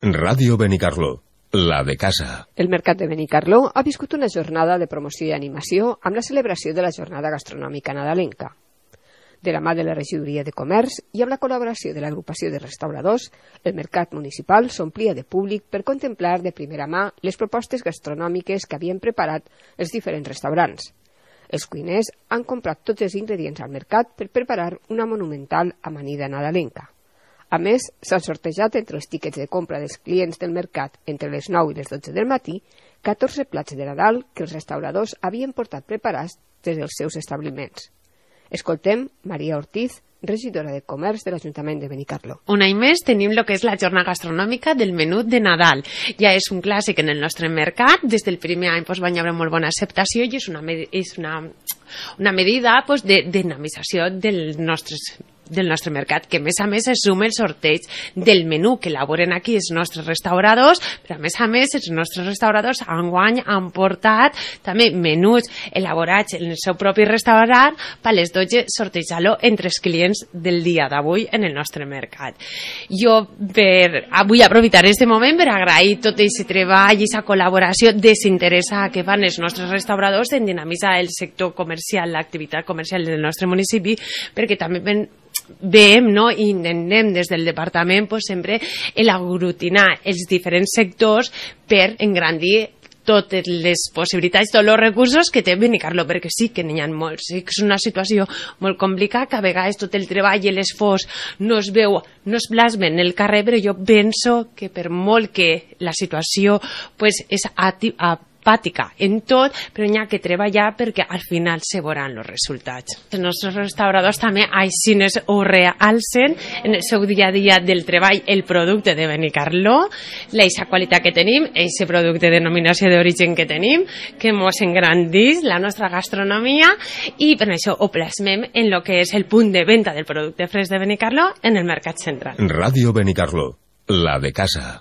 Ràdio Benicarló, la de casa. El Mercat de Benicarló ha viscut una jornada de promoció i animació amb la celebració de la Jornada Gastronòmica Nadalenca. De la mà de la Regidoria de Comerç i amb la col·laboració de l'agrupació de restauradors, el mercat municipal s'omplia de públic per contemplar de primera mà les propostes gastronòmiques que havien preparat els diferents restaurants. Els cuiners han comprat tots els ingredients al mercat per preparar una monumental amanida nadalenca. A més, s'han sortejat entre els tíquets de compra dels clients del mercat entre les 9 i les 12 del matí 14 plats de Nadal que els restauradors havien portat preparats des dels seus establiments. Escoltem Maria Ortiz, regidora de Comerç de l'Ajuntament de Benicarló. Un any més tenim el que és la jornada gastronòmica del menú de Nadal. Ja és un clàssic en el nostre mercat. Des del primer any va haver molt bona acceptació i és una medida de dinamització del nostre mercat, que a més es suma el sorteig del menú que elaboren aquí els nostres restauradors, però a més els nostres restauradors enguany han portat també menús elaborats en el seu propi restaurant per les 12 sortejar-lo entre els clients del dia d'avui en el nostre mercat. Jo vull aprofitar aquest moment per agrair tot aquest treball i aquesta col·laboració desinteressada que fan els nostres restauradors en dinamitzar el sector comercial, l'activitat comercial del nostre municipi, perquè també veiem i intentem des del departament sempre aglutinar els diferents sectors per engrandir totes les possibilitats, tots els recursos que té Benicarló, perquè sí que n'hi ha molts. Sí que és una situació molt complicada, que a vegades tot el treball i l'esforç no es veu, no es plasmen en el carrer, però jo penso que per molt que la situació és apàtica en tot, però n'hi ha que treballar perquè al final se veuran els resultats. Els nostres restauradors també així ho realcen en el seu dia a dia del treball el producte de Benicarló, la qualitat que tenim, aquest producte de denominació d'origen que tenim, que ens engrandís la nostra gastronomia i per això ho plasmem en el que és el punt de venda del producte fresc de Benicarló en el mercat central. Ràdio Benicarló, la de casa.